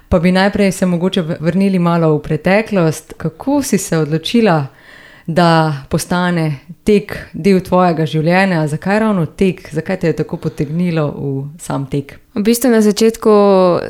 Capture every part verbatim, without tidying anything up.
Pa bi najprej se mogoče vrnili malo v preteklost. Kako si se odločila, da postane tek del tvojega življenja? Zakaj ravno tek? Zakaj te je tako potegnilo v sam tek? V bistvu na začetku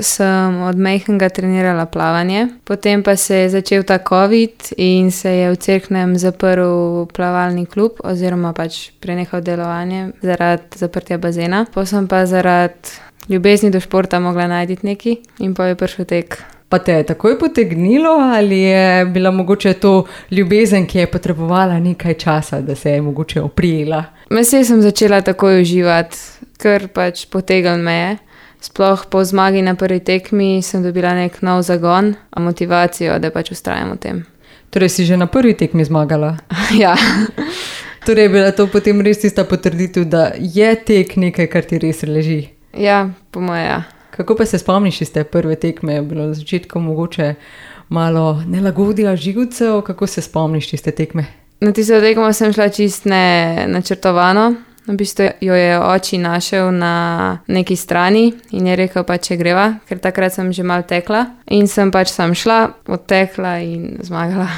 sem od majhnega trenirala plavanje, potem pa se je začel ta covid in se je v Cerknem zaprl plavalni klub oziroma pač prenehal delovanje zaradi zaprtja bazena. Potem sem pa zaradi ljubezni do športa mogla najti nekaj in pa je prišel tek. Pa te je takoj potegnilo ali je bila mogoče to ljubezen, ki je potrebovala nekaj časa, da se je mogoče oprijela? Mesej sem začela takoj uživati, ker pač potegnil me je. Sploh po zmagi na prvi tekmi sem dobila nek nov zagon, a motivacijo, da pač vztrajam v tem. Torej si že na prvi tekmi zmagala? Ja. Torej je bila to potem res tista potrditev, da je tek nekaj, kar ti res leži? Ja, po moje ja. Kako pa se spomniš iz te prve tekme? Je bilo na začetku mogoče malo nelagodja živcev? Kako se spomniš iz te tekme? Na tisto tekmo sem šla čist nenačrtovano. V bistvu jo je oči našel na neki strani in je rekel pa, če greva, ker takrat sem že malo tekla. In sem pač sam šla, odtekla in zmagala.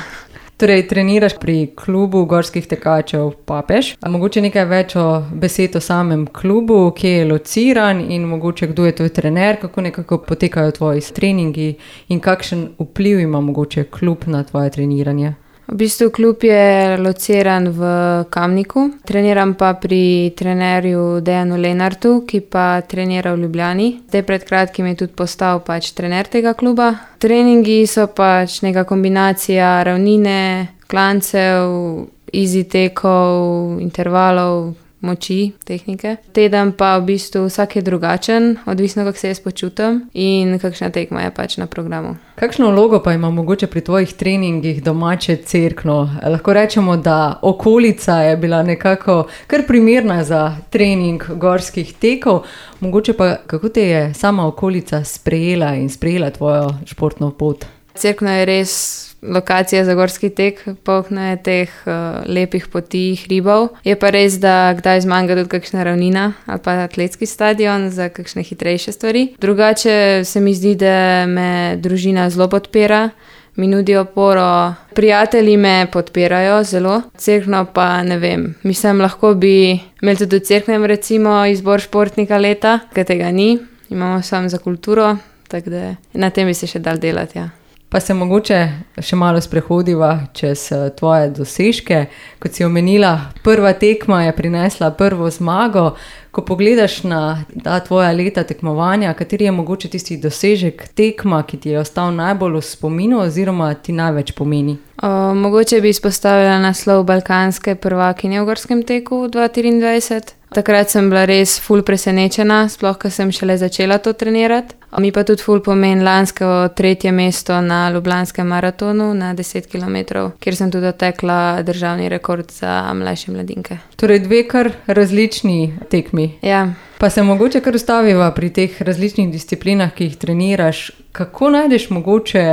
Torej, treniraš pri klubu gorskih tekačev Papež. A mogoče nekaj več o besed o samem klubu, kje je lociran in mogoče kdo je tvoj trener, kako nekako potekajo tvoji treningi in kakšen vpliv ima mogoče klub na tvoje treniranje? V bistvu klub je lociran v Kamniku. Treniram pa pri trenerju Dejanu Lenartu, ki pa trenira v Ljubljani. Zdaj pred kratkim je tudi postal pač trener tega kluba. Treningi so pač neka kombinacija ravnine, klancev, easy tekov, intervalov, moči, tehnike. Teden pa v bistvu vsak je drugačen, odvisno kako se jaz počutim in kakšna tekma je pač na programu. Kakšno vlogo pa ima mogoče pri tvojih treningih domače Cerkno? Lahko rečemo, da okolica je bila nekako kar primerna za trening gorskih tekov. Mogoče pa kako te je sama okolica sprejela in sprejela tvojo športno pot? Cerkno je res lokacija za gorski tek, polno je teh uh, lepih poti, hribov. Je pa res, da kdaj zmanjka tudi kakšna ravnina ali pa atletski stadion za kakšne hitrejše stvari. Drugače se mi zdi, da me družina zelo podpira, mi nudi oporo. Prijatelji me podpirajo zelo, Cerkno pa ne vem. Mislim, lahko bi imeli tudi v Cerknem recimo izbor športnika leta, ker tega ni. Imamo samo za kulturo, tako da na tem bi se še dal delati, ja. Pa se mogoče še malo sprehodiva čez tvoje dosežke. Kot si omenila, prva tekma je prinesla prvo zmago. Ko pogledaš na ta tvoja leta tekmovanja, kateri je mogoče tisti dosežek tekma, ki ti je ostal najbolj v spominu oziroma ti največ pomeni? O, mogoče bi izpostavila naslov balkanske prvakinje v gorskem teku dva tisoč triindvajset. Takrat sem bila res ful presenečena, sploh ko sem šele začela to trenirati. Mi pa tudi ful pomeni lansko tretje mesto na Ljubljanskem maratonu na deset kilometrov, kjer sem tudi otekla državni rekord za mlajše mladinke. Torej dve kar različni tekmi. Ja. Pa se mogoče kar ustaviva pri teh različnih disciplinah, ki jih treniraš. Kako najdeš mogoče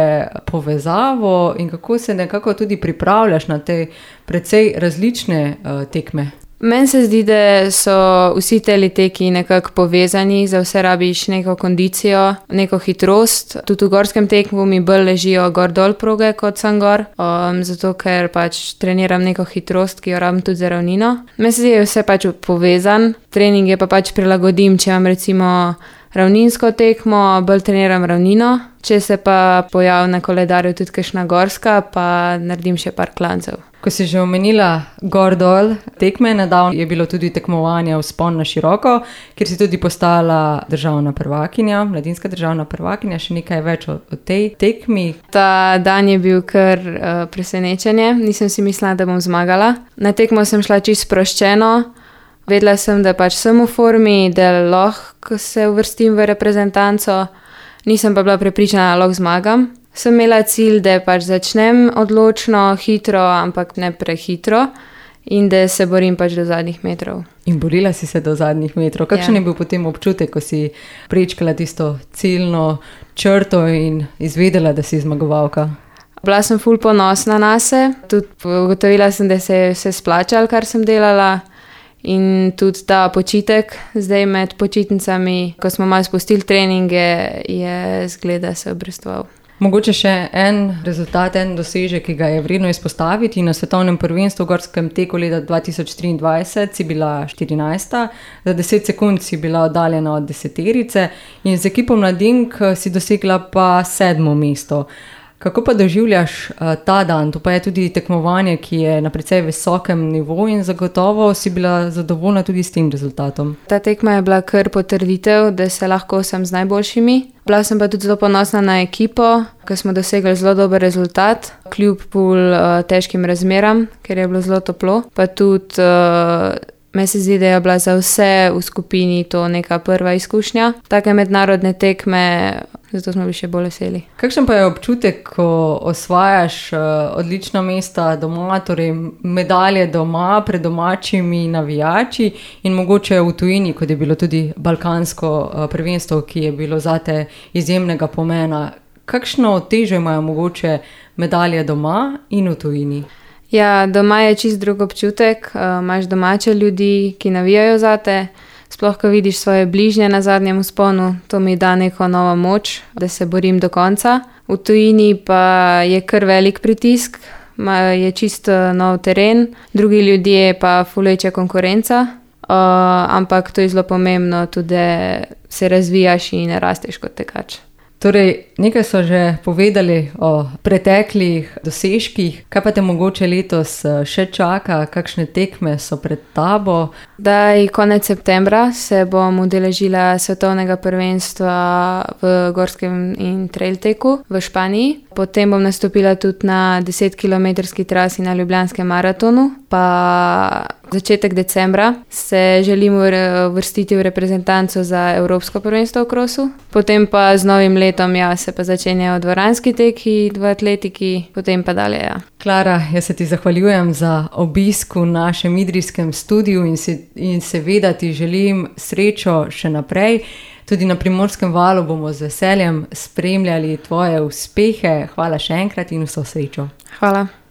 povezavo in kako se nekako tudi pripravljaš na te precej različne uh, tekme? Meni se zdi, da so vsi teli teki nekako povezani, za vse rabiš neko kondicijo, neko hitrost. Tudi v gorskem tekmu mi bolj ležijo gor-dol proge kot sam gor, um, zato ker pač treniram neko hitrost, ki jo rabim tudi za ravnino. Meni se zdi, da je vse pač povezan, treninge pa pač prilagodim, če imam recimo ravninsko tekmo, bolj treniram ravnino, če se pa pojavi na koledarju tudi kakšna gorska, pa naredim še par klancev. Ko si že omenila gor-dol tekme, nedavno je bilo tudi tekmovanje Vzpon na široko, kjer si tudi postala državna prvakinja, mladinska državna prvakinja, še nekaj več o, o tej tekmi. Ta dan je bil kar uh, presenečenje, nisem si mislila, da bom zmagala. Na tekmo sem šla čisto sproščeno, vedela sem, da pač sem v formi, da lahko se uvrstim v reprezentanco, nisem pa bila prepričana, da lahko zmagam. Sem imela cilj, da pač začnem odločno, hitro, ampak ne prehitro in da se borim pač do zadnjih metrov. In borila si se do zadnjih metrov. Kakšen Ja. je bil potem občutek, ko si prečkala tisto ciljno črto in izvedela, da si zmagovalka? Bila sem ful ponosna nase, tudi ugotovila sem, da se je vse splačalo, kar sem delala In tudi ta počitek, zdaj med počitnicami, ko smo malo spustili treninge, je zgleda se obrestoval. Mogoče še en rezultat, en dosežek, ki ga je vredno izpostaviti. Na svetovnem prvenstvu v gorskem teku leta dva tisoč triindvajset si bila štirinajsta, za deset sekund si bila oddaljena od deseterice in z ekipo mladink si dosegla pa sedmo mesto. Kako pa doživljaš uh, ta dan? To pa je tudi tekmovanje, ki je na precej visokem nivoju in zagotovo si bila zadovoljna tudi s tem rezultatom. Ta tekma je bila kar potrditev, da se lahko sem z najboljšimi. Bila sem pa tudi zelo ponosna na ekipo, ker smo dosegli zelo dober rezultat, kljub bolj uh, težkim razmeram, ker je bilo zelo toplo. Pa tudi uh, me se zdi, da je bila za vse v skupini to neka prva izkušnja. Take mednarodne tekme, zato smo bili še bolj veseli. Kakšen pa je občutek, ko osvajaš uh, odlična mesta doma, torej medalje doma pred domačimi navijači in mogoče v tujini, kot je bilo tudi balkansko uh, prvenstvo, ki je bilo zate izjemnega pomena. Kakšno težo imajo mogoče medalje doma in v tujini? Ja, doma je čist drug občutek, uh, imaš domače ljudi, ki navijajo zate. Sploh, ko vidiš svoje bližnje na zadnjem vzponu, to mi da neko novo moč, da se borim do konca. V tujini pa je kar velik pritisk, je čisto nov teren, drugi ljudje pa ful večja konkurenca, uh, ampak to je zelo pomembno tudi, da se razvijaš in rasteš kot tekač. Torej, nekaj so že povedali o preteklih dosežkih, kaj pa te mogoče letos še čaka, kakšne tekme so pred tabo? Daj, konec septembra se bom udeležila svetovnega prvenstva v gorskem in trail teku v Španiji. Potem bom nastopila tudi na desetkilometrski trasi na Ljubljanskem maratonu, pa začetek decembra se želim uvrstiti v reprezentanco za Evropsko prvenstvo v krosu. Potem pa z novim letom ja, se pa začenjajo dvoranski teki v atletiki, potem pa dalje. Ja. Klara, jaz se ti zahvaljujem za obisk v našem idrijskem studiu in, se, in seveda ti želim srečo še naprej. Tudi na Primorskem valu bomo z veseljem spremljali tvoje uspehe. Hvala še enkrat in vso srečo. Hvala.